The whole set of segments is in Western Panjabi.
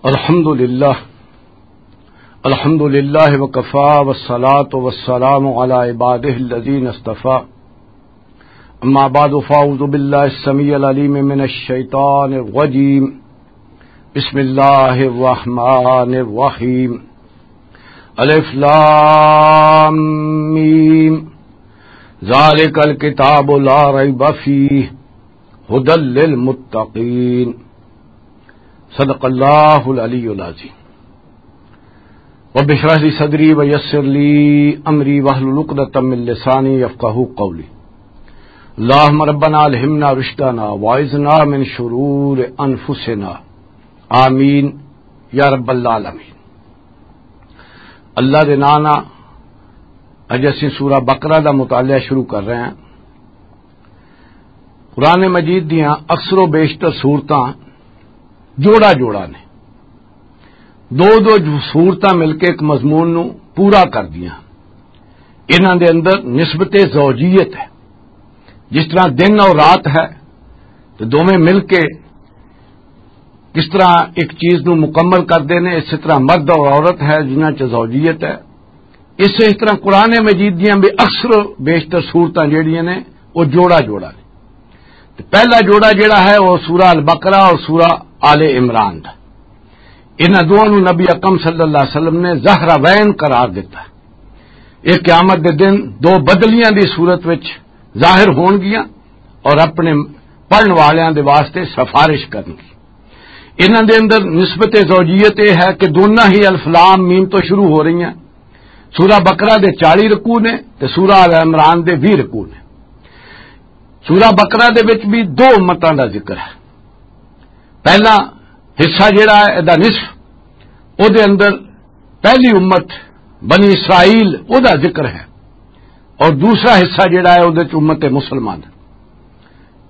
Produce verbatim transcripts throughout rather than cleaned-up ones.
الحمد لله. الحمد لله وكفى، والصلاة والسلام على عباده الذين اصطفى. أما بعد، فأعوذ بالله السميع العليم من الشيطان الرجيم. بسم الله الرحمن الرحيم. الف لام ميم. ذلك الكتاب لا ريب فيه هدى للمتقين. صدق الله العلي العظيم. رب اشرح لي صدري ويسر لي أمري واحلل عقدة من لساني يفقهوا قولي. اللهم ربنا ألهمنا رشدنا وأعذنا من شرور أنفسنا. آمين يا رب العالمين. اللہ دے ناں نال اج اسیں سورہ بقرہ دا مطالعہ شروع کر رہے ہیں۔ قرآن مجید دیاں اکثر و بیشتر سورتاں جوڑا جوڑا نے، دو دو جو سورتاں مل کے ایک مضمون نو پورا کر دیاں۔ انہاں دے اندر نسبت زوجیت ہے، جس طرح دن اور رات ہے تو دوویں مل کے کس طرح ایک چیز نو مکمل کردے نے، اسی طرح مرد اور عورت ہے جنہاں چ زوجیت ہے۔ اس اس طرح قرآن مجید دیاں بھی اکثر و بیشتر سورتاں جڑیاں نے، وہ جوڑا جوڑا نے۔ تے پہلا جوڑا جڑا ہے، وہ سورہ البقرہ اور سورہ آل عمران دا۔ انہاں دوواں نوں نبی اکرم صلی اللہ علیہ وسلم نے زہراوین قرار دتا۔ یہ قیامت دے دن دو بدلیاں دی صورت وچ ظاہر ہون گیاں اور اپنے پڑھن والیاں دے واسطے سفارش کرن گی۔ انہاں دے اندر نسبت زوجیت یہ ہے کہ دونوں ہی الف لام میم تو شروع ہو رہی ہیں۔ سورہ بقرہ دے چالیس رکوع نے تے سورہ آل عمران دے ویہہ رکوع نے۔ سورہ بقرہ دے وچ بھی دو امتاں دا ذکر ہے۔ پہلا حصہ جڑا ہے، دا نصف، او دے اندر پہلی امت بنی اسرائیل، او دا ذکر ہے، اور دوسرا حصہ جڑا ہے، او دے چ امت مسلمان۔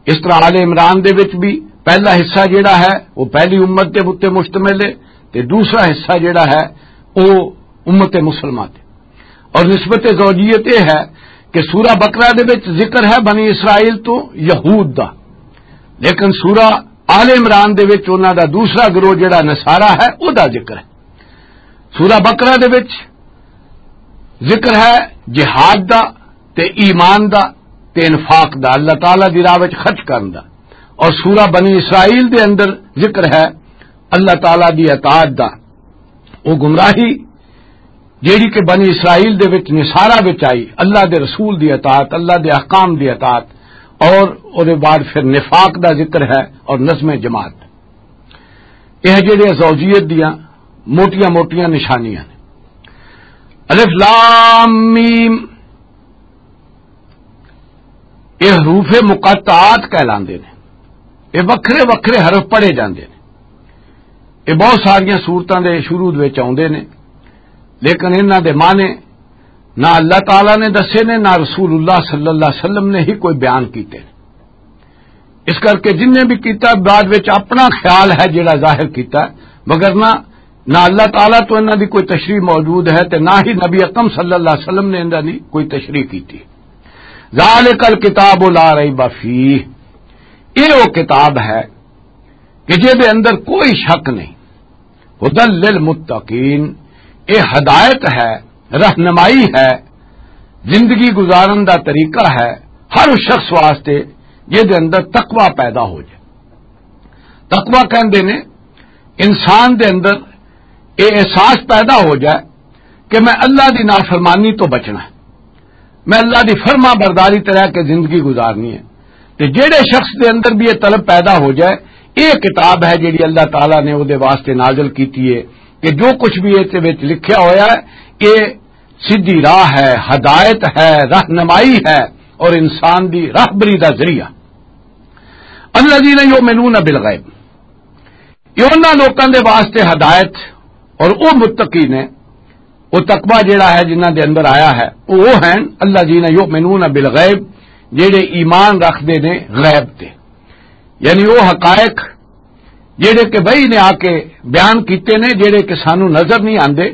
اس طرح آل عمران دے وچ بھی پہلا حصہ جڑا ہے، وہ پہلی امت دے اُتے مشتمل ہے، تے دوسرا حصہ جڑا ہے، او امت مسلمہ تے۔ اور نسبت زوجیت یہ ہے کہ سورہ بقرہ دے وچ ذکر ہے بنی اسرائیل تو یہود دا، لیکن سورہ آل عمران دے وچ انہاں دا دوسرا گروہ جڑا نصارہ ہے، او دا ذکر ہے۔ سورہ بقرہ دے وچ ذکر ہے جہاد دا، تے ایمان دا، تے انفاق دا، اللہ تعالیٰ دی راہ وچ خرچ کرن دا۔ اور سورہ بنی اسرائیل دے اندر ذکر ہے اللہ تعالیٰ دی اطاعت دا۔ وہ گمراہی جیڑی کہ بنی اسرائیل دے وچ نصارہ وچ آئی، اللہ دے رسول دی اطاعت، اللہ دے احکام دی اطاعت، اور او دے بعد پھر نفاق دا ذکر ہے اور نظم جماعت۔ یہ جڑے زوجیت دیاں موٹیاں موٹیاں نشانیاں نے۔ الف لام میم، یہ حروف مقطعات کہلاندے نے۔ یہ وکھرے وکھرے حرف پڑھے جاندے نے۔ یہ بہت ساریاں صورتاں دے شروع وچ آوندے نے، لیکن انہاں دے معنی نہ اللہ تعالیٰ نے دسے نے، نہ رسول اللہ صلی اللہ علیہ وسلم نے ہی کوئی بیان کیتے نے۔ اس کر کے جن نے بھی کیتا، بعد وچ اپنا خیال ہے جڑا ظاہر کیتا، مگر نہ، نہ اللہ تعالیٰ تو انہاں دی کوئی تشریح موجود ہے تے نہ ہی نبی اکرم صلی اللہ علیہ وسلم نے انہاں دی کوئی تشریح کیتی۔ ذالک الکتاب لا ریب فیہ، یہ وہ کتاب ہے کہ جے دے اندر کوئی شک نہیں۔ ہدی للمتقین، یہ ہدایت ہے، رہنمائی ہے، زندگی گزارن دا طریقہ ہے ہر اس شخص واسطے جے دے اندر تقوی پیدا ہو جائے۔ تقوی کہندے نے انسان دے اندر یہ احساس پیدا ہو جائے کہ میں اللہ دی نافرمانی تو بچنا ہے، میں اللہ دی فرما برداری تے رہ کے زندگی گزارنی ہے۔ تے جیڑے شخص دے اندر بھی یہ طلب پیدا ہو جائے، یہ کتاب ہے جیڑی اللہ تعالیٰ نے او دے واسطے نازل کیتی ہے کہ جو کچھ بھی اس وچ لکھیا ہویا ہے، یہ سیدھی راہ ہے، ہدایت ہے، رہنمائی ہے اور انسان دی راہبری دا ذریعہ۔ الذین یؤمنون بالغیب، یہ انہاں لوکاں دے واسطے ہدایت اور او متقی نے، او تقوی جڑا ہے جنہاں دے اندر آیا ہے، او وہ ہیں الذین یؤمنون بالغیب، جڑے ایمان رکھدے نے غیب تے، یعنی وہ حقائق جڑے کہ وحی نے آ کے بیان کیتے نے، جڑے کہ سانو نظر نہیں آندے،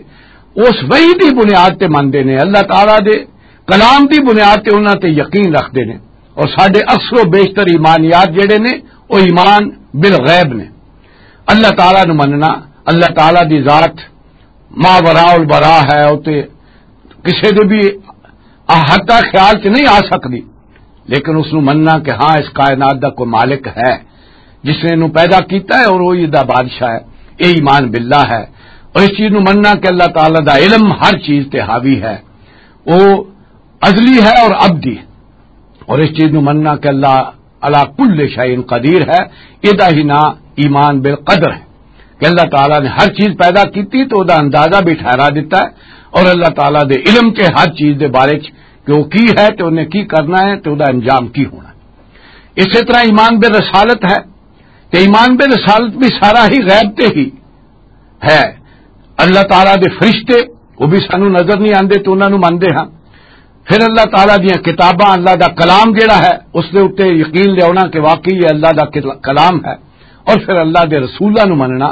اس وحی دی بنیاد تے مندے نے، اللہ تعالیٰ دے کلام دی بنیاد تے انہاں تے یقین رکھدے نے۔ اور ساڈے اکثر و بیشتر ایمانیات جڑے نے، او ایمان بالغیب نے۔ اللہ تعالیٰ نو مننا، اللہ تعالیٰ دی ذات ما وراء البراء ہے، او تے کسے دے بھی احاطہ خیال چ نہیں آ سکدی، لیکن اس نو مننا کہ ہاں، اس کائنات دا کوئی مالک ہے جس نے انہوں پیدا کیتا ہے اور وہی دا بادشاہ ہے، یہ ایمان باللہ ہے۔ اور اس چیز نو مننا کہ اللہ تعالیٰ دا علم ہر چیز تے حاوی ہے، وہ ازلی ہے اور ابدی ہے۔ اور اس چیز نو مننا کہ اللہ علی کل شیء قدیر ہے، یہ دا ہی نام ایمان بالقدر ہے، کہ اللہ تعالیٰ نے ہر چیز پیدا کیتی تو دا اندازہ بھی ٹھہرا دیتا ہے، اور اللہ تعالیٰ دے علم تے ہر چیز دے بارے چ کہ وہ کی ہے تے انہیں کی کرنا ہے تے وہ دا انجام کی ہونا ہے۔ اسی طرح ایمان بالرسالت ہے، تے ایمان بالرسالت بھی سارا ہی غیب تے ہی ہے۔ اللہ تعالیٰ دے فرشتے، وہ بھی سانو نظر نہیں آندے تے انہاں نو مندے ہاں۔ پھر اللہ تعالیٰ دیاں کتاباں، اللہ دا کلام جڑا ہے، اس دے اُتے یقین لیاونا کہ واقعی یہ اللہ دا کل-، کلام ہے۔ اور پھر اللہ دے رسولاں نو مننا،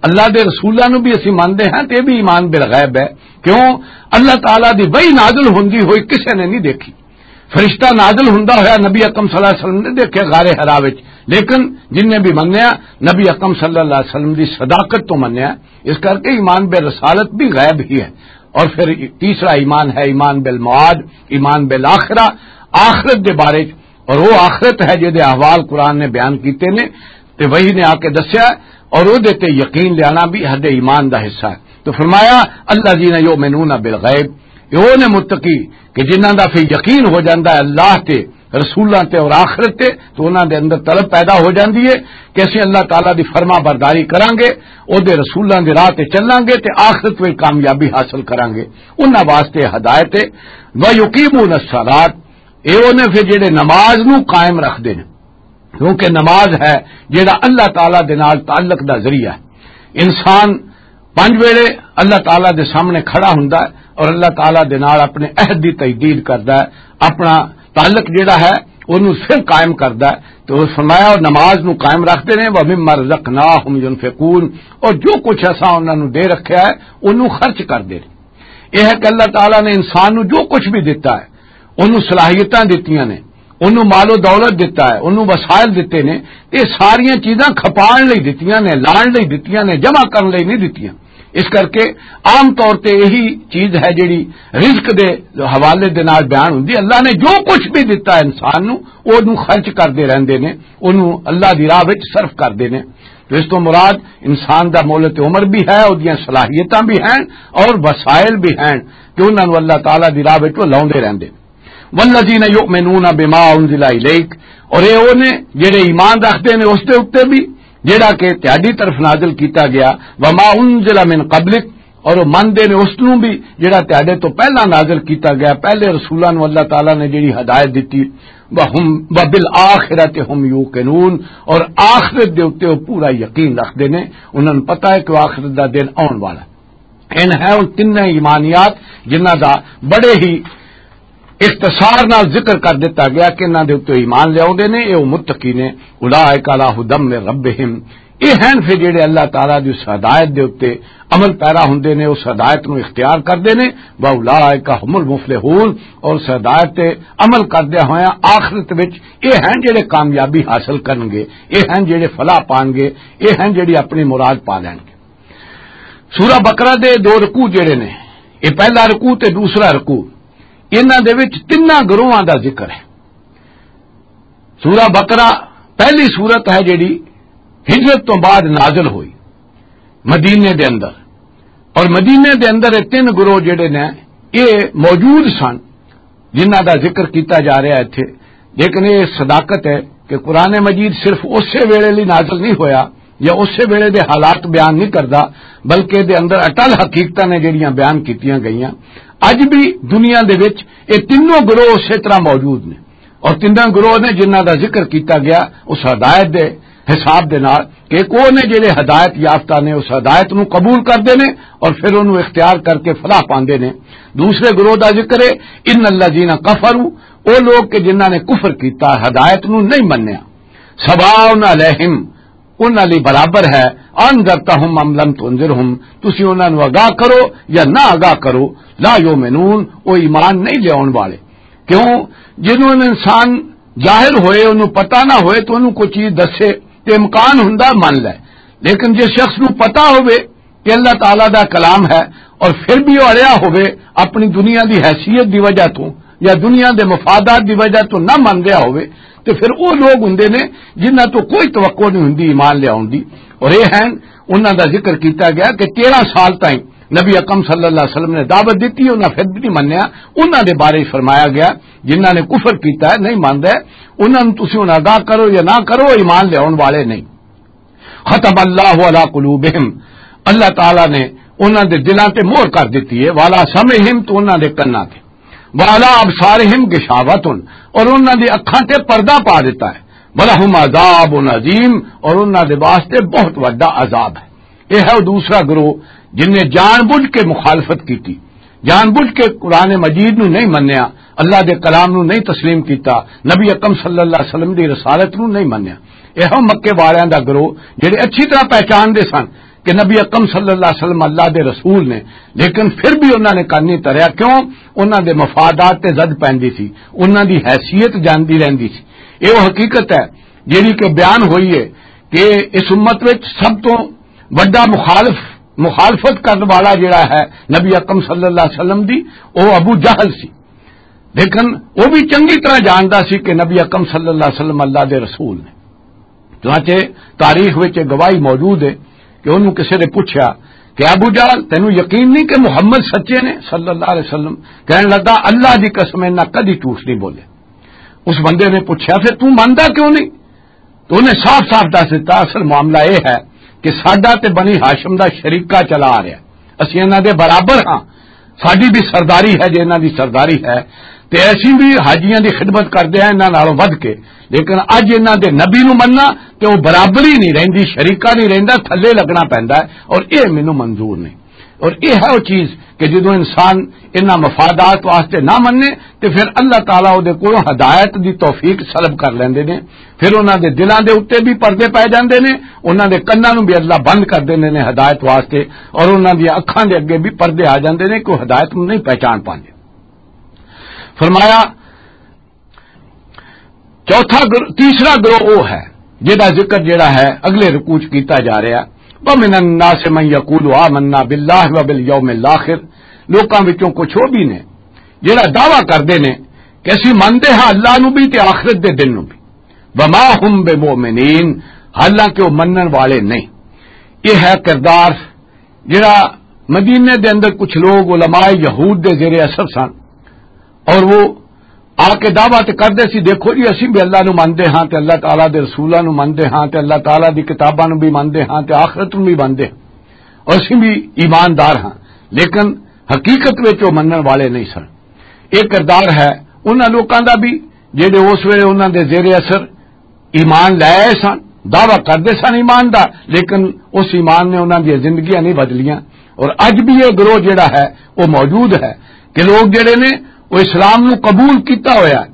اللہ دے رسولاں نو بھی اسی مندے ہاں تے بھی ایمان بالغیب ہے۔ کیوں؟ اللہ تعالیٰ دی وحی نازل ہوندی ہوئی کسے نے نہیں دیکھی۔ فرشتہ نازل ہوندا ہویا نبی اکرم صلی اللہ علیہ وسلم نے دیکھے غار حرا وچ، لیکن جن نے بھی منیا، نبی اکرم صلی اللہ علیہ وسلم دی صداقت تو منیا۔ اس کر کے ایمان بالرسالت بھی غیب ہی ہے۔ اور پھر تیسرا ایمان ہے ایمان بالمعاد، ایمان بالآخرہ، آخرت دے بارے چ۔ اور وہ آخرت ہے جہدے احوال قرآن نے بیان کیتے نے، تے وہی نے آ کے دسیا، اور وہ دے تے یقین لیانا بھی حد ایمان دا حصہ ہے۔ تو فرمایا، الذین یؤمنون بالغیب، یہ وہ نے متقی کہ جنہاں دا پھر یقین ہو جاندا ہے اللہ تے، رسولاں تے اور آخرت تے، تو انہاں دے اندر طلب پیدا ہو جاندی ہے کہ اسی اللہ تعالیٰ دی فرما برداری کراں گے، او دے رسولاں دی راہ تے چلاں گے تے آخرت وچ کامیابی حاصل کراں گے۔ انہاں واسطے ہدایت ہے۔ وَيُقِيمُونَ الصَّلَاةَ، اے وہ نے پھر جڑے نماز نو قائم رکھدے نے، کیونکہ نماز ہے جڑا اللہ تعالیٰ دے نال تعلق دا ذریعہ ہے۔ انسان پنج ویلے اللہ تعالیٰ دے سامنے کھڑا ہوندا ہے اور اللہ تعالیٰ دے نال اپنے عہد دی تجدید کردا ہے، اپنا تعلق جڑا ہے، اونوں پھر قائم کردا ہے۔ تو فرمایا، اور نماز نو قائم رکھدے نے، وَمِمَّا رَزَقْنَاهُمْ يُنْفِقُونَ، اور جو کچھ اساں انہاں نو دے رکھیا ہے، اونوں خرچ کردے نے۔ یہ ہے کہ اللہ تعالیٰ نے انسان نو جو کچھ بھی دتا ہے، انہوں صلاحیتاں دتیاں نے، انہوں مال و دولت دتا ہے، انہوں وسائل دتے نے، یہ ساریاں چیزاں کھپان لئی دتیاں نے، لان لئی دتیاں نے، جمع کرن لئی نہیں دتیاں۔ اس کر کے عام طور تے یہی چیز ہے جڑی رزق دے حوالے دے نال بیان ہوندی۔ اللہ نے جو کچھ بھی دتا ہے انسان نو، اونوں خرچ کردے رہندے نے، اونوں اللہ دی راہ وچ صرف کردے نے۔ تو اس تو مراد انسان دا مہلت عمر بھی ہے، اودیاں صلاحیتاں بھی ہیں اور وسائل بھی ہیں کہ انہاں نوں اللہ تعالیٰ دی راہ وچ وہ لاؤندے رہندے۔ والذین یؤمنون بما انزل الیک، اور اے او نے جڑے ایمان رکھدے نے اس دے اُتے بھی جڑا کہ تہاڈی طرف نازل کیتا گیا، وما انزل من قبلک، اور وہ مندے نے اس نوں بھی جڑا تہاڈے تو پہلا نازل کیتا گیا، پہلے رسولاں نوں اللہ تعالیٰ نے جڑی ہدایت دتی، وہم وبالآخرۃ ہم یوقنون، اور آخرت دے اُتے وہ پورا یقین رکھدے نے، انہاں نوں پتہ ہے کہ وہ آخرت دا دن آن والا ہے۔ ان ہے ان تینوں ایمانیات جنہاں دا بڑے ہی اختصار نال ذکر کر دتا گیا کہ انہاں دے اُتے ایمان لیاوندے نے، اے او متقی نے، اولئک علی ھدی من ربہم، اے ہن پھر جڑے اللہ تعالیٰ دی اس ہدایت دے اُتے عمل پیرا ہوندے نے، اس ہدایت نوں اختیار کردے نے، واولئک ھم المفلحون، اور اس ہدایت تے عمل کردے ہوئے آخرت وچ اے ہن جڑے کامیابی حاصل کرن گے، اے ہن جڑے فلاح پان گے، اے ہن جڑی اپنی مراد پا لین گے۔ سورہ بقرہ دے دو رکوع جڑے نے، اے پہلا رکوع تے دوسرا رکوع، انہاں دے وچ تیناں گروہاں دا ذکر ہے۔ سورہ بقرہ پہلی سورت ہے جڑی ہجرت تو بعد نازل ہوئی مدینے دے اندر، اور مدینے دے اندر یہ تین گروہ جڑے نے، یہ موجود سن جنہاں دا ذکر کیتا جا رہا ہے اتھے۔ لیکن یہ صداقت ہے کہ قرآن مجید صرف اسے ویلے لئی نازل نہیں ہویا یا اسے ویلے دے حالات بیان نہیں کردا، بلکہ دے اندر اٹل حقیقتاں نے جڑیاں بیان کیتیاں گئیاں۔ اج بھی دنیا دے وچ یہ تینوں گروہ اسی طرح موجود نے، اور تینوں گروہ نے جنہاں دا ذکر کیتا گیا اس ہدایت دے حساب دے نال کہ ایک وہ نے جڑے ہدایت یافتہ نے، اس ہدایت نو قبول کردے نے اور پھر انہوں اختیار کر کے فلاح پاندے نے۔ دوسرے گروہ دا ذکر ہے، ان الذین کفروا، وہ لوگ کہ جنہاں نے کفر کیتا، ہدایت نو نہیں منیا، سواء علیہم، انہاں لئی برابر ہے، انذرتہم ام لم تنذرہم، تسی انہاں نو آگاہ کرو یا نہ آگاہ کرو، لا یؤمنون، وہ ایمان نہیں لیاون والے۔ کیوں؟ جنوں انسان جاہل ہوئے، انہوں پتہ نہ ہوئے تو انہوں کوئی چیز دسے تے امکان ہوندا من لے، لیکن جس شخص نوں پتہ ہوئے کہ اللہ تعالیٰ دا کلام ہے، اور پھر بھی وہ اڑیا ہوئے اپنی دنیا دی حیثیت دی وجہ تو یا دنیا دے مفادات دی وجہ تو نہ من رہا ہوئے، تو پھر وہ لوگ ہوندے نے جنہاں تو کوئی توقع نہیں ہوندی ایمان لے آؤن دی۔ اور یہ ہیں، انہاں دا ذکر کیتا گیا کہ تیرہ سال تائیں نبی اکرم صلی اللہ علیہ وسلم نے دعوت دیتی، انہاں پھر بھی نہیں منیا۔ انہاں دے بارے فرمایا گیا، جنہاں نے کفر کیتا ہے، نہیں ماندا ہے، انہاں نوں تسی ہن آگاہ کرو یا نہ کرو، ایمان لے آؤن والے نہیں۔ ختم اللہ علی قلوبہم، اللہ تعالیٰ نے انہاں دے دلاں تے مہر کر دتی ہے، والا سمعہم، تو انہاں دے کناں تے، والا ابصارہم غشاوۃ، اور انہاں دی اکھاں تے پردہ پا دتا ہے، ولہم عذاب عظیم، اور انہاں دے واسطے بہت وڈا عذاب ہے۔ یہ ہے وہ دوسرا گروہ جن نے جان بوجھ کے مخالفت کی تھی، جان بوجھ کے قرآن مجید نو نہیں منیا، اللہ دے کلام نو نہیں تسلیم کیتا، نبی اکرم صلی اللہ علیہ وسلم دی رسالت نو نہیں منیا۔ یہ مکے والیاں دا گروہ جڑے اچھی طرح پہچان دے سن کہ نبی اکرم صلی اللہ علیہ وسلم اللہ دے رسول نے، لیکن پھر بھی انہاں نے کن نہیں تریا۔ کیوں؟ انہاں دے مفادات تے زد پیندی سی، انہاں دی حیثیت جاندی رہندی سی۔ یہ وہ حقیقت ہے جیڑی کہ بیان ہوئی ہے کہ اس امت وچ سب تو وڈا مخالف، مخالفت کرن والا جڑا ہے نبی اکرم صلی اللہ علیہ وسلم دی، او ابو جہل سی۔ لیکن وہ بھی چنگی طرح جاندا سی کہ نبی اکرم صلی اللہ علیہ وسلم اللہ دے رسول نے۔ چنانچہ تاریخ وچ یہ گواہی موجود ہے کہ انہوں کسی نے پوچھا کہ ابو جہل، تینوں یقین نہیں کہ محمد سچے نے صلی اللہ علیہ وسلم؟ کہن لگا، اللہ دی قسم، انہاں کدی جھوٹ نہیں بولے۔ اس بندے نے پوچھا، پھر توں مندا کیوں نہیں؟ تو انہیں صاف صاف دس دتا، اصل معاملہ یہ ہے کہ ساڈا تے بنی ہاشم دا شریکہ چلا آ رہا ہے، اسی انہاں دے برابر ہاں، ساڈی بھی سرداری ہے، جے انہاں دی سرداری ہے، تے اسی بھی حاجیاں دی خدمت کردے ہیں انہاں نالوں ودھ کے۔ لیکن اج انہاں دے نبی نو مننا تے وہ برابری نہیں رہندی، شریکہ نہیں رہندا، تھلے لگنا پیندا ہے، اور یہ مینوں منظور نہیں۔ اور یہ ہے وہ چیز کہ جدوں انسان انہاں مفادات واسطے نہ مننے، تے پھر اللہ تعالیٰ او دے کولوں ہدایت دی توفیق سلب کر لیندے نے۔ پھر انہاں دے دلاں دے اُتے بھی پردے پے جاندے نے، انہاں دے کناں نوں بھی اللہ بند کر دیندے نے ہدایت واسطے، اور انہاں دی اکھاں دے اگے بھی پردے آ جاندے نے کہ او ہدایت نوں نہیں پہچان پاندے۔ فرمایا، چوتھا گر-، تیسرا گروہ وہ ہے جہدا ذکر جڑا ہے اگلے رکوع چ کیتا جا رہا ہے، وَمِنَ النَّاسِ مَن يَقُولُ آمَنَّا بِاللَّهِ وَبِالْيَوْمِ الْآخِرِ، لوکاں وچوں کچھ وہ بھی نے جڑا دعویٰ کردے نے کہ اسی منتے ہاں اللہ نو بھی تے آخرت دے دن نو بھی، وَمَا هُم بِمُؤْمِنِينَ، حالانکہ وہ منن والے نہیں۔ یہ ہے کردار جڑا مدینے دے اندر کچھ لوگ علماء یہود دے زیر اثر سن، اور وہ آ کے دعویٰ تے کردے سی، "دیکھو جی، اسی بھی اللہ نو مندے ہاں تے اللہ تعالیٰ دے رسولاں نو مندے ہاں تے اللہ تعالیٰ دی کتاباں نو بھی مندے ہاں تے آخرت نو بھی مندے ہاں، اور اسی بھی ایماندار ہاں۔" لیکن حقیقت وچ وہ منن والے نہیں سن۔ یہ کردار ہے انہاں لوکاں دا بھی جڑے اس ویلے انہاں دے زیر اثر ایمان لے آئے سن، دعویٰ کردے سن ایمان دا، لیکن اس ایمان نے انہاں دی زندگیاں نہیں بدلیاں۔ اور اج بھی یہ گروہ جڑا ہے، وہ موجود ہے کہ لوگ جڑے نے، وہ اسلام نو قبول کیتا ہویا ہے،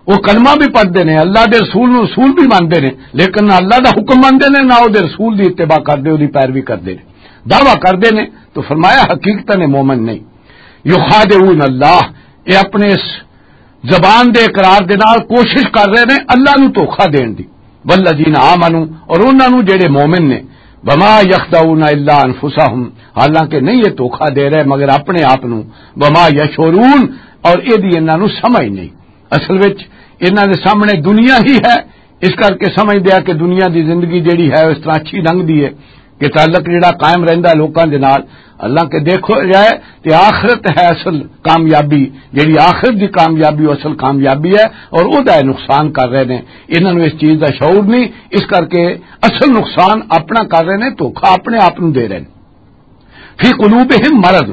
وہ کلمہ بھی پڑھدے نے، اللہ دے رسول نو رسول بھی مانتے نے، لیکن نہ اللہ دا حکم مانتے نے، نہ وہ دے رسول دی اتباع کردے، وہ دی پیروی کردے نے، دعویٰ کردے نے۔ تو فرمایا، حقیقتاً مومن نہیں۔ یخادعون اللہ، یہ اپنے اس زبان دے اقرار دے نال کوشش کر رہے نے اللہ نو دھوکا دین دی۔ والذین آمنوا، اور انہاں نو جڑے مومن نے، وما یخدعون الا انفسہم، حالانکہ نہیں یہ دھوکا دے رہے مگر اپنے آپ نو، وما یشعرون، اور یہ دی انہاں نو سمجھ نہیں۔ اصل وچ انہاں دے سامنے دنیا ہی ہے، اس کر کے سمجھ دیا کہ دنیا دی زندگی جڑی ہے اس طرح اچھی لنگدی ہے۔ کہ تعلق جڑا قائم رہندا ہے لوکاں دے نال، حالانکہ دیکھو جائے تے آخرت ہے اصل کامیابی، جڑی آخرت دی کامیابی وہ اصل کامیابی ہے، اور او دا نقصان کر رہے نے۔ انہاں نوں اس چیز دا شعور نہیں، اس کر کے اصل نقصان اپنا کر رہے نے، دھوکا اپنے آپ نوں دے رہے نے۔ فی قلوبہم مرض،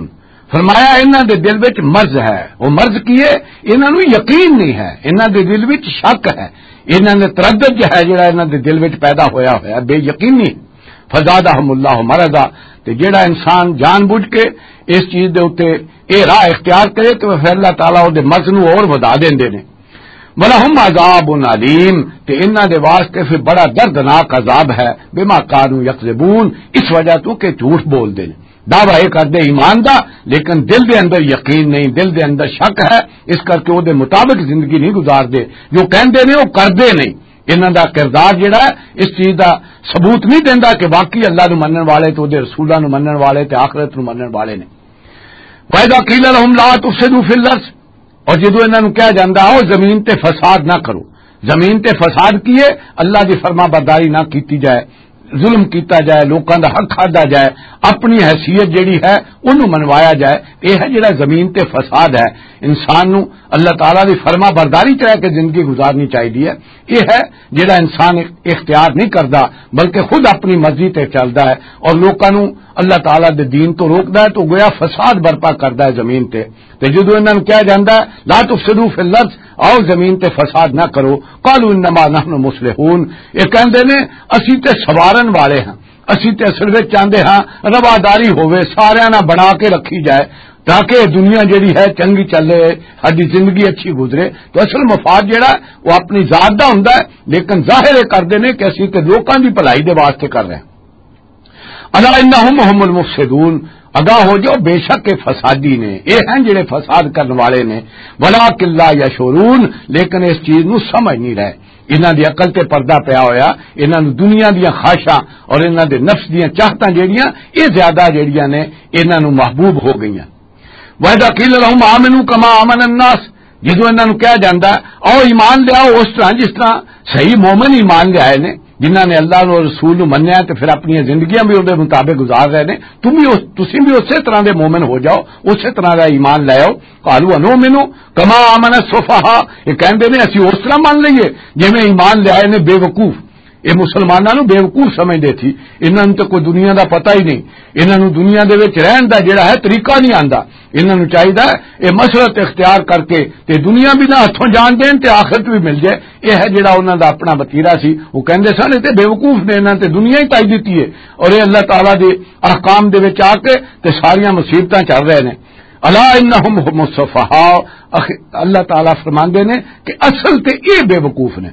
فرمایا انہاں دے دل وچ مرض ہے۔ وہ مرض کی ہے؟ انہاں نوں یقین نہیں ہے، انہاں دے دل وچ شک ہے، انہاں نے تردد جو ہے جڑا انہاں دے دل وچ پیدا ہویا ہویا، بے یقینی۔ فزادہم اللہ مرضا، تے جڑا انسان جان بوجھ کے اس چیز دے اُتے اے راہ اختیار کرے تو پھر اللہ تعالیٰ او دے مرض نوں اور ودھا دیندے نے۔ ولہم عذاب علیم، تے انہاں دے واسطے پھر بڑا دردناک عذاب ہے، بما کانوا یکذبون، اس وجہ تو کہ جھوٹ بول دے نے۔ دعویٰ اے کردے ایمان دا، لیکن دل دے اندر یقین نہیں، دل دے اندر شک ہے، اس کر کے او دے مطابق زندگی نہیں گزار دے، جو کہندے نے او کردے نہیں۔ انہاں دا کردار جڑا ہے، اس چیز دا ثبوت نہیں دیندا کہ واقعی اللہ نو منن والے تے اودے رسولاں نو منن والے تے آخرت نو منن والے نے۔ وَإِذَا قِيلَ لَهُمْ لَا تُفْسِدُوا فِي الْأَرْضِ، اور جدوں انہاں نوں کہا جاندا، "آؤ زمین تے فساد نہ کرو۔" زمین تے فساد کیے؟ اللہ دی فرما برداری نہ کیتی جائے، ظلم کیتا جائے، لوکاں دا حق کھادا جائے، اپنی حیثیت جڑی ہے، اونوں منوایا جائے۔ یہ ہے جڑا زمین تے فساد ہے۔ انسان نوں اللہ تعالیٰ دی فرما برداری چ رہ کے زندگی گزارنی چاہیے۔ یہ ہے جڑا انسان اختیار نہیں کردا، بلکہ خود اپنی مرضی تے چلدا ہے اور لوکاں نوں اللہ تعالیٰ دے دین تو روکدا ہے، تو گویا فساد برپا کردا ہے زمین تے۔ تے جدوں انہاں نوں کہا جاندا ہے، "لا تفسدوا فی الارض"، آؤ زمین تے فساد نہ کرو، "قالوا انما نحن مصلحون"، یہ کہندے نے، "اسی تے سوارن والے ہاں، اسی تے اصل وچ چاہندے ہاں رواداری ہووے، ساریاں نال بنا کے رکھی جائے، تاکہ یہ دنیا جڑی ہے چنگی چلے، ساڈی زندگی اچھی گزرے۔" تو اصل مفاد جڑا ہے، وہ اپنی ذات دا ہوندا ہے، لیکن ظاہر یہ کردے نے کہ اسی تے لوکاں دی بھلائی دے واسطے کر رہے ہیں۔ الا انہم ہم المفسدون، آگاہ ہو جاؤ، بے شک یہ فسادی نے، یہ ہیں جڑے فساد کرن والے نے۔ ولکن لا یشعرون، لیکن اس چیز نو سمجھ نہیں رہے۔ انہاں دی عقل تے پردہ پیا ہویا، انہاں نو دنیا دیاں خواہشاں اور انہاں دے نفس دیاں چاہتاں جڑیاں، یہ زیادہ جڑیاں نے، انہاں نو محبوب ہو گئیاں۔ وَإِذَا قِيلَ لَهُمْ آمِنُوا كَمَا آمَنَ النَّاسُ، جدوں انہاں نوں کہا جاندا، "آؤ ایمان لے آؤ اس طرح جس طرح صحیح مومن ایمان لے آئے نے، جنہاں نے اللہ نوں اور رسول نوں منیا تے پھر اپنی زندگیاں بھی اون دے مطابق گزار رہے نے، تم بھی اس، تسی بھی اسی طرح دے مومن ہو جاؤ، اسی طرح دا ایمان لے آؤ۔" قالوا انؤمن کما آمن السفہاء، یہ کہندے نے، "اسی اس طرح من لئیے جویں ایمان لے آئے نے بے وقوف۔" یہ مسلماناں نوں بے وقوف سمجھدے تھی۔ انہاں نوں تے کوئی دنیا دا پتہ ہی نہیں، انہاں نوں دنیا دے وچ رہن دا جڑا ہے طریقہ نہیں آندا۔ انہاں نوں چاہیدا ہے یہ مسلط اختیار کر کے تے دنیا بھی نہ ہتھوں جان دین تے آخرت بھی مل جائے۔ یہ ہے جڑا انہاں دا اپنا وتیرہ سی۔ وہ کہندے سن، "یہ تے بے وقوف نے، انہاں تے دنیا ہی تائی دتی ہے اور یہ اللہ تعالیٰ دے احکام دے وچ آ کے تے ساریاں مصیبتاں چل رہے نے۔" الا انہم ہم السفہاء، اخ-، اللہ تعالیٰ فرماندے نے کہ اصل تے یہ بے وقوف نے،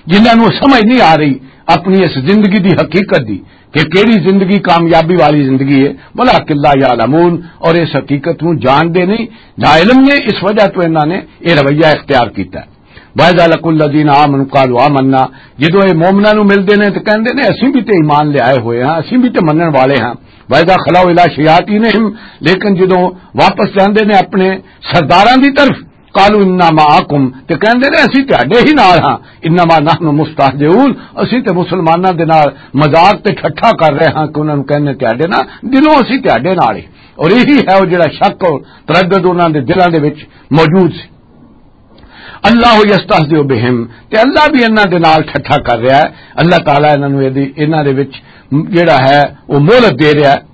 جنہاں نوں سمجھ نہیں آ رہی اپنی اس زندگی دی حقیقت دی کہ کیڑی زندگی کامیابی والی زندگی ہے، ولکن لا یعلمون، اور اس حقیقت نوں جانتے نہیں، ناعلم نے، اس وجہ تو انہاں نے یہ رویہ اختیار کیتا ہے۔ وَإِذَا لَقُوا الَّذِينَ آمَنُوا قَالُوا آمَنَّا، جدوں یہ مومناں نوں ملدے نے تے کہندے نے، "اسیں بھی تے ایمان لے آئے ہوئے ہاں، اسیں بھی تے منن والے ہاں۔" وَإِذَا خَلَوْا إِلَىٰ شَيَاطِينِهِمْ، لیکن جدوں واپس جاندے نے اپنے سرداراں دی طرف، قالوا انا معکم، تے کہندے نے، "اسی تہاڈے ہی نال ہاں، انما نحن مستہزئون، اسی تے مسلماناں دے نال مذاق تے ٹھٹھا کر رہے ہاں کہ انہاں نوں کہنے تہاڈے نال، دلوں اسی تہاڈے نال ہی۔" اور یہی ہے وہ جڑا شک اور تردد انہاں دے دلاں دے وچ موجود سی۔ اللہ یستہزئ بہم، تے اللہ بھی انہاں دے نال ٹھٹھا کر رہا ہے۔ اللہ تعالیٰ انہاں نوں ایدی، انہاں دے وچ جڑا ہے وہ مہلت دے رہا ہے۔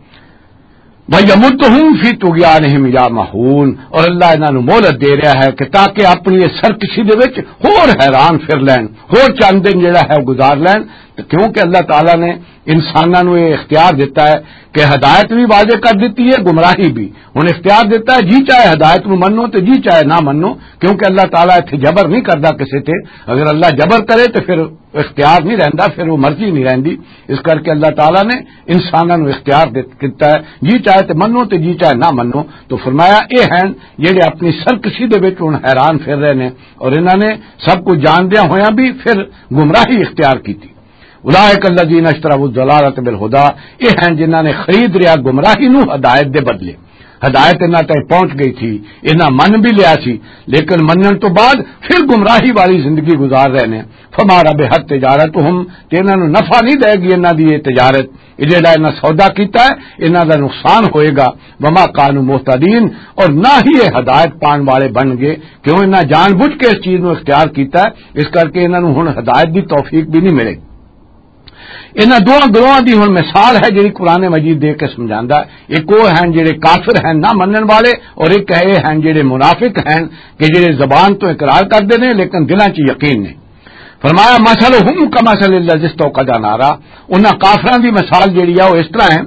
وَيَمُدُّهُمْ فِي طُغْيَانِهِمْ يَعْمَهُونَ، اور اللہ انہاں نوں مہلت دے رہا ہے کہ تاکہ اپنی اس سرکشی دے وچ ہور حیران پھر لین، ہور چند دن جڑا ہے گزار لین۔ تے کیونکہ اللہ تعالیٰ نے انساناں نوں یہ اختیار دتا ہے کہ ہدایت بھی واضح کر دتی ہے، گمراہی بھی۔ ہن اختیار دتا ہے، جی چاہے ہدایت نوں منو تے جی چاہے نہ منو، کیونکہ اللہ تعالیٰ اتھے جبر نہیں کردا کسے تے۔ اگر اللہ جبر کرے تے پھر اختیار نہیں رہندا، پھر وہ مرضی نہیں رہندی۔ اس کر کے اللہ تعالیٰ نے انساناں نوں اختیار دت-، دتا ہے، جی چاہے تے منو تے جی چاہے نہ منو۔ تو فرمایا، اے ہیں جڑے اپنی سرکشی دے وچ ہن حیران پھر رہے نے اور انہاں نے سب کچھ جاندیاں ہویاں بھی پھر گمراہی اختیار کیتی۔ اولئک الذین اشتروا الضلالۃ بالہدی، اے ہیں جنہاں نے خرید رہا گمراہی نوں ہدایت دے بدلے۔ ہدایت انہاں تک پہنچ گئی تھی، انہاں من بھی لیا سی، لیکن منن تو بعد پھر گمراہی والی زندگی گزار رہے نے۔ فما ربحت تجارتہم، تے انہاں نوں نفع نہیں دے گی انہاں دی یہ تجارت، یہ جڑا انہاں سودا کیتا ہے، انہاں دا نقصان ہوئے گا۔ وما کانوا مہتدین، اور نہ ہی یہ ہدایت پان والے بن گئے، کیوں انہاں جان بوجھ کے اس چیز نوں اختیار کیتا ہے، اس کر کے انہاں نوں ہن ہدایت دی توفیق بھی نہیں ملے گی۔ انہاں دوواں گروہاں دی ہن مثال ہے جڑی قرآن مجید دے کے سمجھاندا ہے۔ ایک وہ ہیں جڑے کافر ہیں، نہ منن والے، اور ایک ہے ہیں جڑے منافق ہیں کہ جڑے زبان تو اقرار کردے نے لیکن دلاں چ یقین نہیں۔ فرمایا، مثلہم کمثل الذی استوقد نارا، انہاں کافراں دی مثال جڑی ہے وہ اس طرح ہے،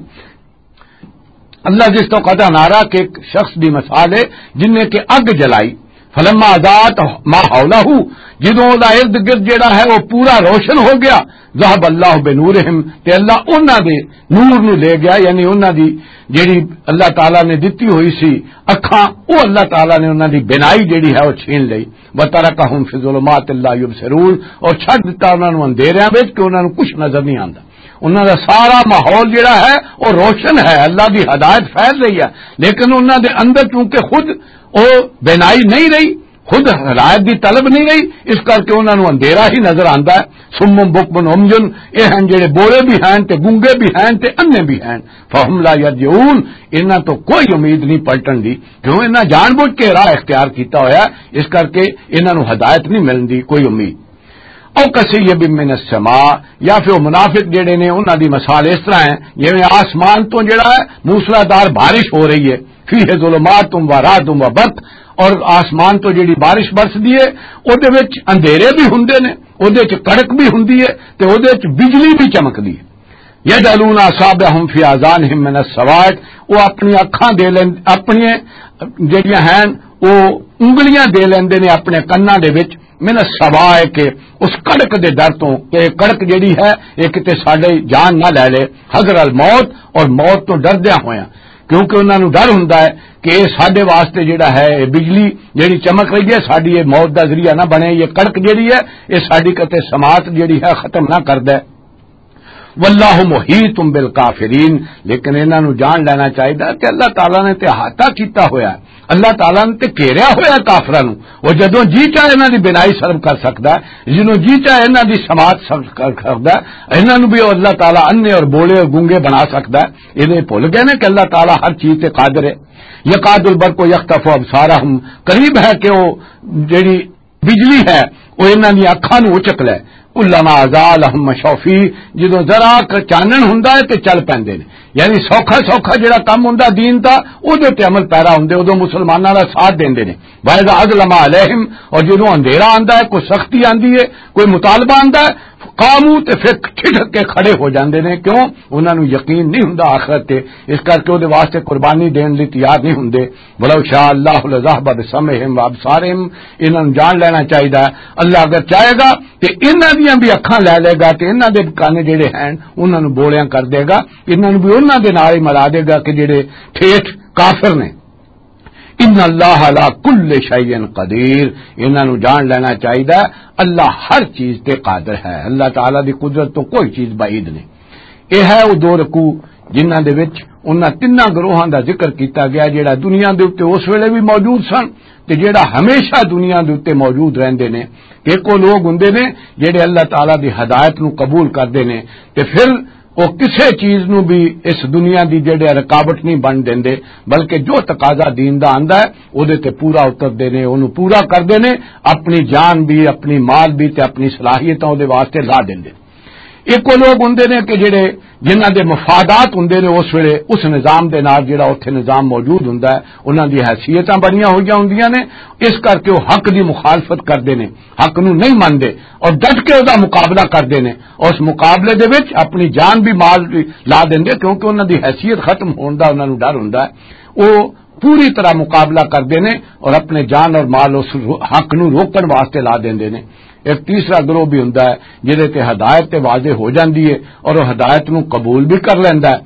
الذی استوقد نارا، کہ ایک شخص دی مثال ہے جن نے کہ اگ جلائی، فلما ازاحت ما حولہ، جدوں او دا ارد گرد جڑا ہے او پورا روشن ہو گیا، ذهب اللہ بنورہم، تے اللہ انہاں دے نور نو لے گیا، یعنی انہاں دی جڑی اللہ تعالیٰ نے دتی ہوئی سی اکھاں، او اللہ تعالیٰ نے انہاں دی بینائی جڑی ہے او چھین لئی۔ وترکہم فی ظلمات لا یبصرون، اور چھڈ دتا انہاں نو اندھیریاں وچ کہ انہاں نو کچھ نظر نہیں آندا۔ انہاں دا سارا ماحول جڑا ہے او روشن ہے، اللہ دی ہدایت پھیل رہی ہے، لیکن انہاں دے اندر چونکہ خود او بینائی نہیں رہی، خود ہدایت دی طلب نہیں رہی، اس کر کے انہاں نوں اندھیرا ہی نظر آندا ہے۔ سم بکم عمي، اے ہن جڑے بولے بھی ہیں تے گنگے بھی ہیں تے انے بھی ہیں۔ فهم لا يرجعون، انہاں تو کوئی امید نہیں پلٹن دی، کیوں انہاں جان بوجھ کے راہ اختیار کیتا ہویا ہے، اس کر کے انہاں نوں ہدایت نہیں ملن دی کوئی امید۔ او کسی من السماء، یا پھر او منافق جڑے نے انہاں دی مثال اس طرح ہے جویں آسمان تو جڑا ہے موسلادھار بارش ہو رہی ہے، فيه ظلمات ورعد وبرق، اور آسمان تو جڑی بارش برسدی ہے، اودے وچ اندھیرے بھی ہوندے نے، اودے وچ کڑک بھی ہوندی ہے، تے اودے وچ بجلی بھی چمکدی ہے۔ يجعلون اصابعهم في آذانهم من الصواعق، وہ اپنی اکھاں دے لین، اپنی جڑیاں ہیں، وہ انگلیاں دے لیندے نے اپنے کناں دے وچ، من الصواعق، اس کڑک دے ڈر تو، کہ کڑک جڑی ہے، یہ کتے ساڈے جان نہ لے لے، حذر الموت، اور موت تو ڈردیاں ہویاں، کیونکہ انہاں نوں ڈر ہوندا ہے کہ یہ ساڈے واسطے جڑا ہے، یہ بجلی جڑی چمک رہی ہے، ساڈی یہ موت دا ذریعہ نہ بنے، یہ کڑک جڑی ہے، یہ ساڈی کتے سماعت جڑی ہے، ختم نہ کر دے۔ واللہ محیط بالکافرین، لیکن انہاں نوں جان لینا چاہیدا کہ اللہ تعالیٰ نے تے احاطہ کیتا ہویا ہے، اللہ تعالیٰ نے تے گھیریا ہویا ہے کافراں نوں۔ وہ جدوں جی چاہے انہاں دی بنائی سرب کر سکدا ہے، جدوں جی چاہے انہاں دی سماعت سرب کر سکدا ہے، انہاں نوں بھی اللہ تعالیٰ انے اور بولے اور گونگے بنا سکدا ہے۔ انہیں بھول گئے نے کہ اللہ تعالیٰ ہر چیز تے قادر ہے۔ یکاد البرق یخطف ابصارہم، قریب ہے کہ وہ جڑی بجلی ہے، وہ انہاں دی اکھاں نوں اچک لے۔ کلما ازال لہم مشوا فیہ، جدوں ذرا ک چانن ہوندا ہے تے چل پیندے نے۔ یعنی سوکھا سوکھا جڑا کم ہوندا دین دا، اودے تے عمل پیرا ہوندے، اودوں مسلماناں دا ساتھ دیندے نے۔ وَإِذَا أَظْلَمَ عَلَيْهِمْ، اور جدوں اندھیرا آندا ہے، کوئی سختی آندی ہے، کوئی مطالبہ آندا ہے، قاموا، تے پھر ٹھٹک کے کھڑے ہو جاندے نے۔ کیوں؟ انہاں نوں یقین نہیں ہوندا آخرت تے، اس کر کے اودے واسطے قربانی دین لئی تیار نہیں ہوندے۔ ولو شاء اللہ لذهب بسمعهم وابصارهم، انہاں نوں جان لینا چاہیدا ہے۔ اللہ اگر چاہے گا تے انہاں دیاں بھی اکھاں لے لے گا تے انہاں دے کان جڑے ہیں انہاں نوں بولیاں کر دے گا، انہاں نوں بھی انہاں دے نال ہی ملا دے گا کہ جڑے ٹھیٹ کافر نے۔ ان اللہ علی کل شیء قدیر، انہاں نوں جان لینا چاہیدا ہے، اللہ ہر چیز تے قادر ہے، اللہ تعالیٰ دی قدرت تو کوئی چیز بعید نہیں۔ یہ ہے وہ دو رکوع جنہاں دے وچ انہاں تیناں گروہاں دا ذکر کیتا گیا، جڑا دنیا دے اُتے اس ویلے بھی موجود سن تے جڑا ہمیشہ دنیا دے اُتے موجود رہندے نے۔ ایک وہ لوگ ہوندے نے جڑے اللہ تعالیٰ دی ہدایت نو قبول کردے نے تے پھر وہ کسے چیز نو بھی اس دنیا دی جڑے رکاوٹ نہیں بن دیندے، بلکہ جو تقاضا دین دا آندا ہے، اودے تے پورا اتردے نے، اونوں پورا کردے نے، اپنی جان بھی، اپنی مال بھی تے اپنی صلاحیتاں اودے واسطے لا دیندے۔ ایک وہ لوگ ہوندے نے کہ جڑے، جنہاں دے مفادات ہوندے نے اس ویلے اس نظام دے نال، جڑا اوتھے نظام موجود ہوندا ہے، انہاں دی حیثیتاں بڑیاں ہوئیاں ہوندیاں نے، اس کر کے وہ حق دی مخالفت کردے نے، حق نو نہیں مندے اور ڈٹ کے ادا مقابلہ کردے نے۔ اور اس مقابلے دے وچ اپنی جان بھی مال بھی لا دیندے، کیونکہ انہاں دی حیثیت ختم ہون دا انہاں نو ڈر ہوندا ہے۔ وہ پوری طرح مقابلہ کردے نے اور اپنے جان اور مال اس رو-، حق نو روکن واسطے لا دیندے نے۔ ایک تیسرا گروہ بھی ہوندا ہے جہدے تے ہدایت تے واضح ہو جاندی ہے اور وہ ہدایت نو قبول بھی کر لیندا ہے،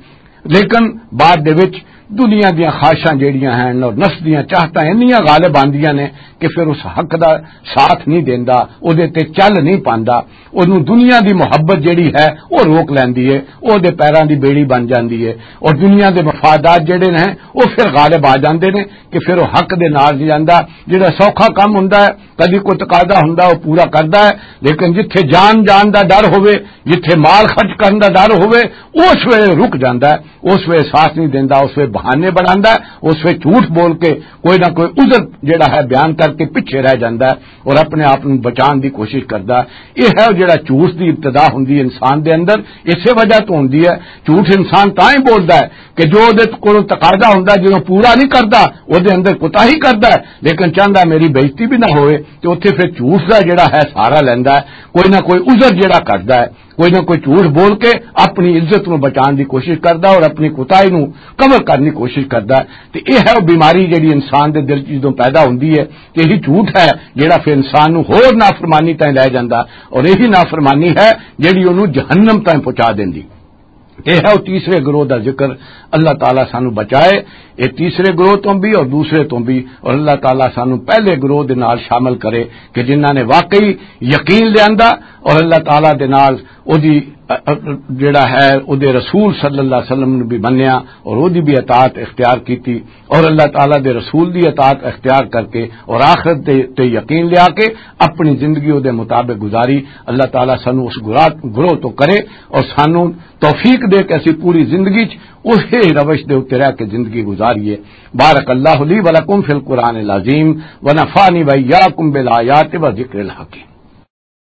لیکن بعد دے وچ دنیا دیاں خواہشاں جیڑیاں ہن اور نفس دیاں چاہتاں انیاں غالب آندیاں نے کہ پھر اس حق دا ساتھ نہیں دیندا، او دے تے چل نہیں پاندا۔ اونوں دنیا دی محبت جیڑی ہے، او روک لیندی ہے، او دے پیراں دی بیڑی بن جاندی ہے، اور دنیا دے مفادات جیڑے نے، او پھر غالب آ جاندے نے کہ پھر او حق دے نال نہیں جاندا۔ جیڑا سوکھا کم ہوندا ہے، کدی کوئی تقاضا ہوندا، او پورا کردا ہے، لیکن جتھے جان جان دا ڈر ہووے، جتھے مال خرچ کرن دا ڈر ہووے، اس ویلے رک جاندا ہے، اس ویلے ساتھ نہیں دیندا، اس ویلے بہانے بناندا ہے، اس ویلے جھوٹ بول کے کوئی نہ کوئی عذر جڑا ہے بیان کر کے پیچھے رہ جاندا ہے اور اپنے آپ نوں بچان دی کوشش کردا ہے۔ یہ ہے جڑا جھوٹ دی ابتدا ہوندی ہے انسان دے اندر، اسے وجہ تو ہوندی ہے۔ جھوٹ انسان تاں ہی بولدا ہے کہ جو دے کولوں تقاضا ہوندا، جدوں پورا نہیں کردا، او دے اندر کوتاہی کردا ہے، لیکن چاہندا میری بےعزتی بھی نہ ہوئے، تے اوتھے پھر جھوٹ دا جڑا ہے سہارا لیندا ہے، کوئی نہ کوئی عذر جڑا کردا ہے۔ کوئی نہ کوئی جھوٹ بول کے اپنی عزت نو بچان دی کوشش کردا اور اپنی کوتاہی نو کور کرن دی کوشش کردا ہے۔ تے یہ ہے وہ بیماری جڑی انسان دے دل چ جدوں پیدا ہوندی ہے کہ یہی جھوٹ ہے جڑا پھر انسان نو ہور نافرمانی تائیں لے جاندا، اور یہی نافرمانی ہے جڑی اونوں جہنم تائیں پہنچا دیندی۔ یہ ہے وہ تیسرے گروہ دا ذکر۔ اللہ تعالیٰ سانو بچائے یہ تیسرے گروہ تو بھی اور دوسرے تو بھی، اور اللہ تعالیٰ سانو پہلے گروہ دے نال شامل کرے کہ جنہاں نے واقعی یقین لیاندا اور اللہ تعالیٰ دے نال او دی، ا، ا، جڑا ہے، او دے رسول صلی اللہ علیہ وسلم نو بھی منیا اور او دی بھی اطاعت اختیار کیتی، اور اللہ تعالیٰ دے رسول دی اطاعت اختیار کر کے اور آخرت دے تے یقین لیا کے اپنی زندگی او دے مطابق گزاری۔ اللہ تعالیٰ سانو اس گرا-، گروہ تو کرے اور سانو توفیق دے کہ اسی پوری زندگی چ اسی روش دے اُتے رہ کے زندگی گزاریے۔ بارک اللہ لی و لکم فی القرآن العظیم و نفعنی و ایاکم بالآیات و ذکر الحکیم۔